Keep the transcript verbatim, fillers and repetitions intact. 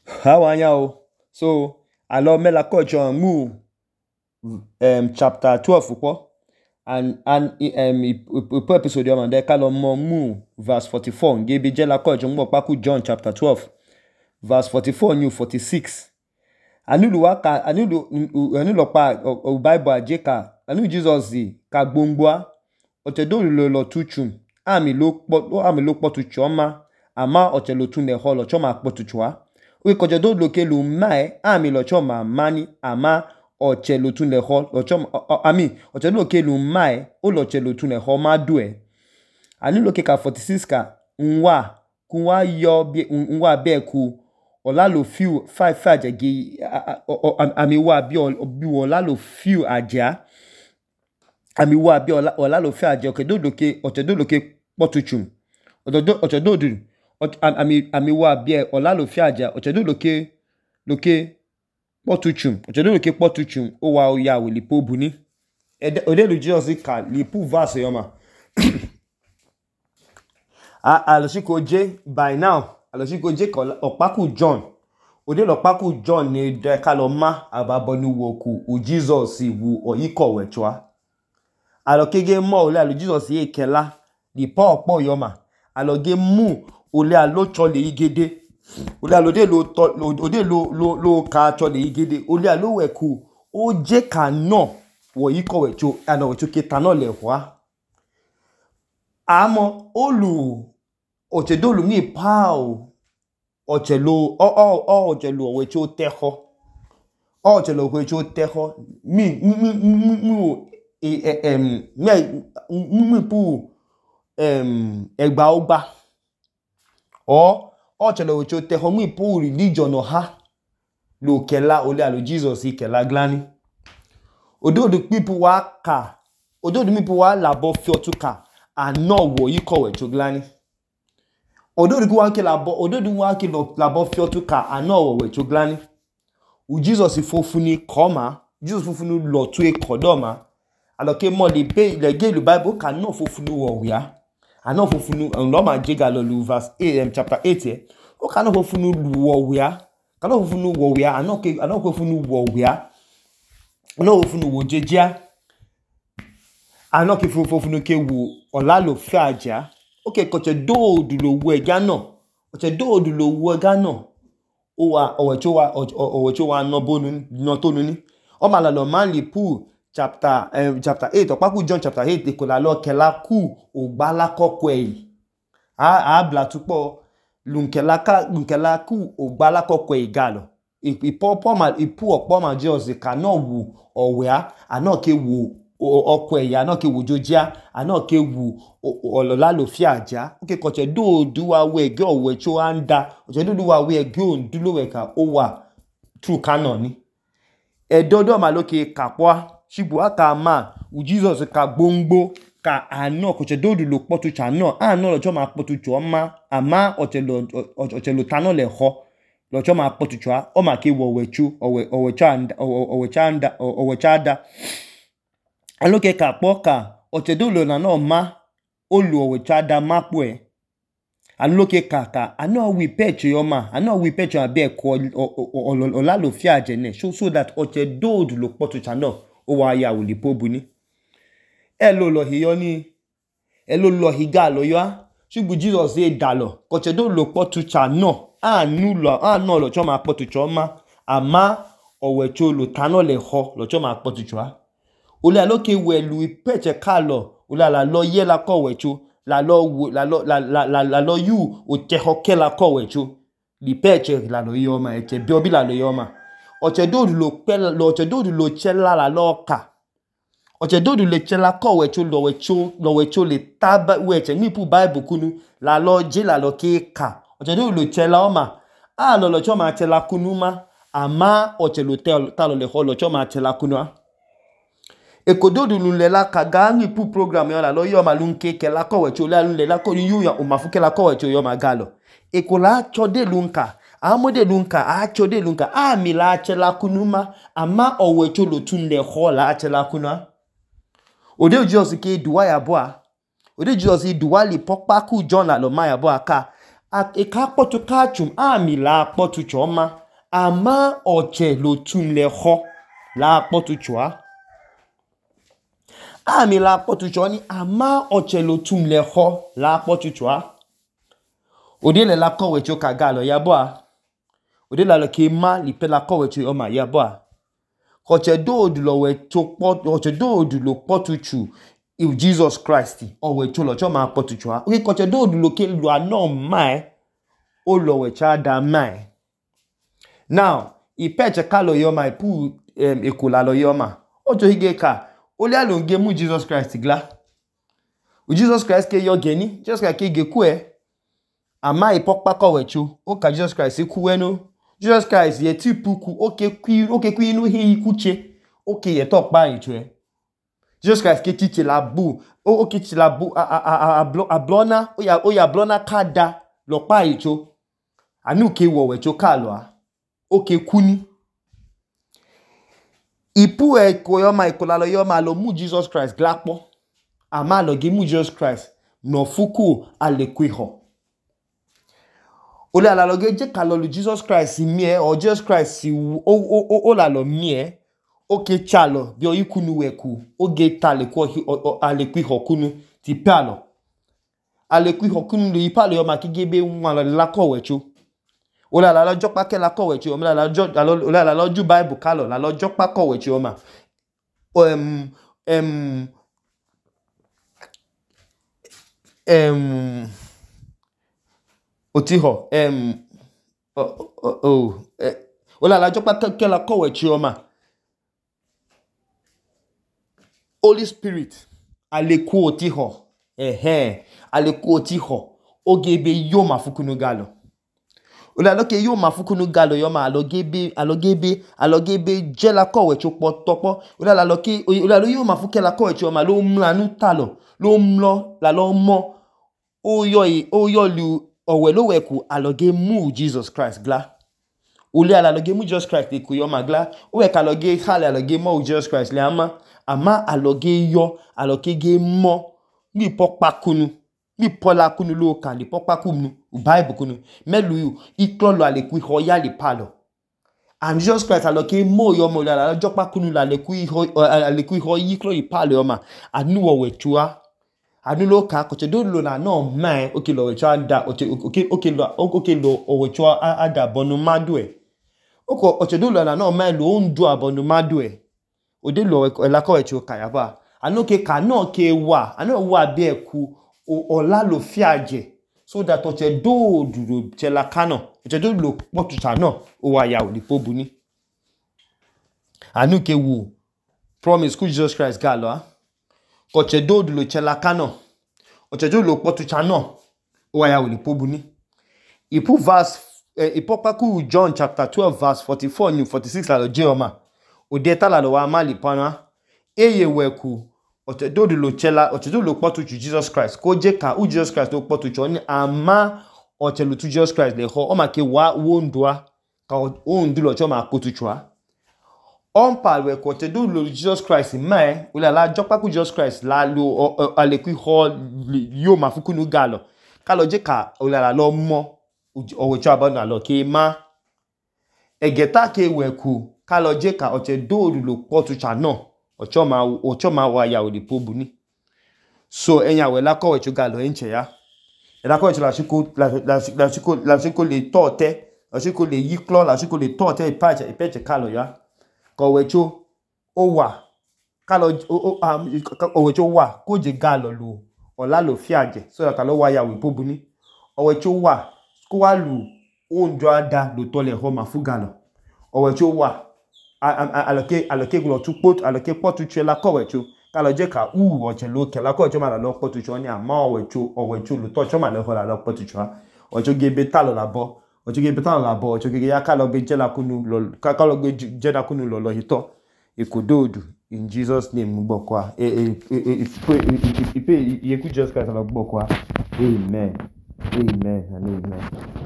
How are you? So, alors mais la coach en mou um, chapter twelve upo and and um upo episode yo mande kalo mo mu verse forty-four ngebe je la coach ngbo paku John chapter twelve verse forty-four new forty-six. Anu lu wa ka anu lu anu lo pa o Bible aje ka anu Jesus zi ka gbongboa ote do lo lo tuchum ami lo po ami lo po tuchoma ama ote lo tun le ho lo choma po tuchwa we ko je do lo ke lu mai ami lo choma mani ama oche lo tun le ho lo choma ami oche lo ke lu mai o lo che lo tun le ho ma du e anu lo ke ka forty-six ka nwa kunwa yo bi nwa be ku ola lo few five five agi ami wa bi bi ola lo few aja ami wa bi ola ola lo few aja ke do do ke oche do lo ke potuchum odo oche do do ami ami wa bi ola lo few aja oche do lo ke lo ke potuchum oche do lo ke potuchum o wa o ya we lipo buni ode lu Jesus ka lipo verse yo ma a alosiko je by now alosiko je ko opaku John ode lo paku John ni de kaloma ababonu woku u Jesus wu oyiko wechwa alokege mo ole alu Jesus ye kela di po opo yo ma aloge mu ole alo chole igede ole alode lo ode lo lo lo ka chole igede ole alo weku o je ka no wo yiko wecho ana wecho ke tano le hwa amo olu oche dolu mi pao oche lo o o o oche lo wecho teho o oche lo wecho teho mi mi mi mi em mi mi pu em egba ogba o oche lo wecho teho mi pu religion ha lo kela ole alo Jesus kela glani odo the people wa ka odo the people wa labo fiotuka ano wo yiko wecho glani odo the wa ke labo odo the wa ke labo fiotuka ano wo wecho glani u Jesus fofuni koma Jesus fofunu lo tu e kodoma aloke mo le be le ge le Bible ka no fofunu wo wia ano fofunu lo ma je ga lo lu verse eight chapter eight e o ka no fofunu wo wia ka no fofunu wo wia ano ke ano fofunu wo wia no fofunu wo jejia ano ke fofunu ke wo ola lo fe aja okay ko che do du lo wo eja no o che do du lo wo eja no o wa o wecho wa o wecho wa no bonu no tonu ni o ma la lo man li pu chapter um, chapter eight opaku John chapter eight e ko la lo kela ku o gba la kokko e a a bla tupo lunkela ka lunkela ku o gba la kokko e galo ipo po ma ipu opo ma Jesus ka no wu owea ana ke wu okko e ya na ke wu jojia ana ke wu olola lo fi aja oke ko che do du wa we ge owe cho anda o che do du wa we ge on du lo we ka o wa true canon ni e dodo ma lo ke kapwa shibu aka ma u Jesus ka gbongbo ka ano ko che do du lo potu cha no ano lo cho ma potu cho ma ama o che lo o che lo tano le ho lo cho ma potu cho o ma ke wo wechu owe owe cha anda owe cha anda owe cha da aloke ka poka oche do lo na no ma olu owe cha da mapo e aloke kaka ano we pecho yo ma ano we pecho abe ko ola lo fi aje ne so so that oche do lo potu cha no o wa ya wo lipo buni e lo lo hiyo ni e lo lo higa lo yo shugbu Jesus e dalo oche do lo potu cha no anu lo anu lo cho ma potu cho ma ama owe cho lo tano le ho lo cho ma potu cho ole aloke welu peche kalo ole la lo ye la ko wechu la lo la lo la la la lo yu o te hoke la ko wechu di peche la lo yo ma e che biobi la lo yo ma o che do lo pe lo che do lo chela la lo ka o che do le chela ko wechu lo wechu lo wechu le taba weche mi pu Bible kunu la lo je la lo ke ka o che do lo chela o ma a lo lo cho ma chela kunu ma ama o che lo te ta lo le ho lo cho ma chela kunu a ekododu lule la kaga ni pu program yo la lo yo ma lunke ke la ko wecho la lule la ko yu ya o ma fuke la ko wecho yo ma galo ekola chode lunka amode lunka a chode lunka a mi la chela kunuma ama o wecho lo tunle ho la chela kuna ode Jesus ke duwa ya boa ode Jesus duwa li popa ku John la lo ma ya boa ka eka kpotu kachum ami la kpotu choma ama oche lo tun le ho la kpotu chwa ami la kpotu choni ama oche lo tun le ho la kpotu chwa ode le la kowe cho kagalo yaboa ode la lo ke ma li pe la kowe cho oma yaboa oche do lo we cho pot oche do lo kpotu chu if Jesus Christ o we cho lo cho ma kpotu chwa oke oche do lo ke lo ano mai o lo we cha da mai now ipeche kalo yoma ipu um, ekola lo yoma ojo hige ka ole alonge mu Jesus Christ gla u Jesus Christ ke yo geni Jesus Christ ke ge ku e ama ipokpa ko wechu o ka Jesus Christ ku we no Jesus Christ ye ti puku oke kwi oke kwi nu hi kuche oke ye to pa ichwe Jesus Christ ke tiche la bu o oke tiche la bu a a a a blona o ya o ya blona kada lo pa icho anu ke wo wechu ka lo a oke kuni ipu e ko yoma ikola lo yoma lo mu Jesus Christ glapo ama lo ge mu Jesus Christ no fuku alekwiho ole ala lo ge je ka lo lu Jesus Christ mi e o Jesus Christ o o o la lo mi e oke chalo bi o ikunu weku oge ta le ko alekwiho kunu ti palo alekwiho kunu lo ipalo yoma kigebe nwa lo la ko wechu ole ala lo jopa ke la ko wechu o la la jo ole ala lo ju Bible kalo la lo jopa ko wechu o ma um um um otiho um oh oh, oh eh, ole ala jopa ke la ko wechu o ma Holy Spirit aleku otiho ehe aleku otiho ogebe yo mafukunu galo ole aloke yo mafukunu galo yo ma alogebe alogebe alogebe je la kowe cho potopo ole aloke ole alo yo mafuke la kowe cho ma lo mlanu talo lo mlo la lo mo oyo oyo lu owe lo weku aloge mu Jesus Christ gla ole aloge mu Jesus Christ ku yo ma gla o we ka aloge hale aloge mu Jesus Christ le ama ama aloge yo aloke ge mo ni popa kunu ni pola kunu lo kan li popa kunu Bible kunu melu yu iklolo aleku ho ya li palo and Jesus Christ aloke mo yo mo la jopa kunu la aleku ho aleku ho iklo ipalo yo ma anu wo wechua anu lo ka ko che do lo na no mai oke lo wechua da oke oke oke lo oke lo o wechua ada bonu madue oko oche do lo na no mai lo ndu abonu madue ode lo la ko wechu kaya ba anu ke ka no ke wa anu wa bi eku ola lo fiaje so that oche do duro chela kano oche do lo potuta no o wa ya oli pobuni anu ke wu promise ku Jesus Christ galo ah oche do lo chela kano oche do lo potuta no o wa ya oli pobuni ipu verse eh, ipopa ku John chapter twelve verse forty-four ni forty-six la lo je o ma ode ta la lo wa mali pana eye weku oche do lo chela oche do lo potu chu Jesus Christ ko je ka u Jesus Christ lo potu chu ni ama oche lo tu Jesus Christ le ho o ma ke wa wo ndua ka o ndu lo cho ma potu chua on pa we ko oche do lo Jesus Christ mai o la la jopa ku Jesus Christ la lo aleku ho yo mafukunu galo ka lo je ka o la la lo mo o we cha ba na lo ke ma egeta ke weku ka lo je ka oche do lo potu cha no ocho ma ocho ma wa ya odi pobuni so enya we la ko we chu galo enche ya la ko chu la siko la la siko la siko le tote la siko le yiklo la siko le tote ipache ipeche kalo ya ko we chu o wa kalo o o we chu wa ko je galo lu ola lo fiaje so that lo wa ya we pobuni o we chu wa ko wa lu o njo ada lo to le ho mafugalo o we chu wa aloke aloke glo tu pot aloke potu chela ko wechu kalo je ka u oche lo ke la ko cho ma la lo potu cho ni ama wechu o wechu lo to cho ma le ho la lo potu cho ocho ge beta lo la bo ocho ge beta lo la bo ocho ge ya kalo be je la kunu lo kalo ge je la kunu lo lo hito ikododu in Jesus name mo gbokwa e e e e e e ye ku Jesus Christ lo gbokwa amen amen and amen.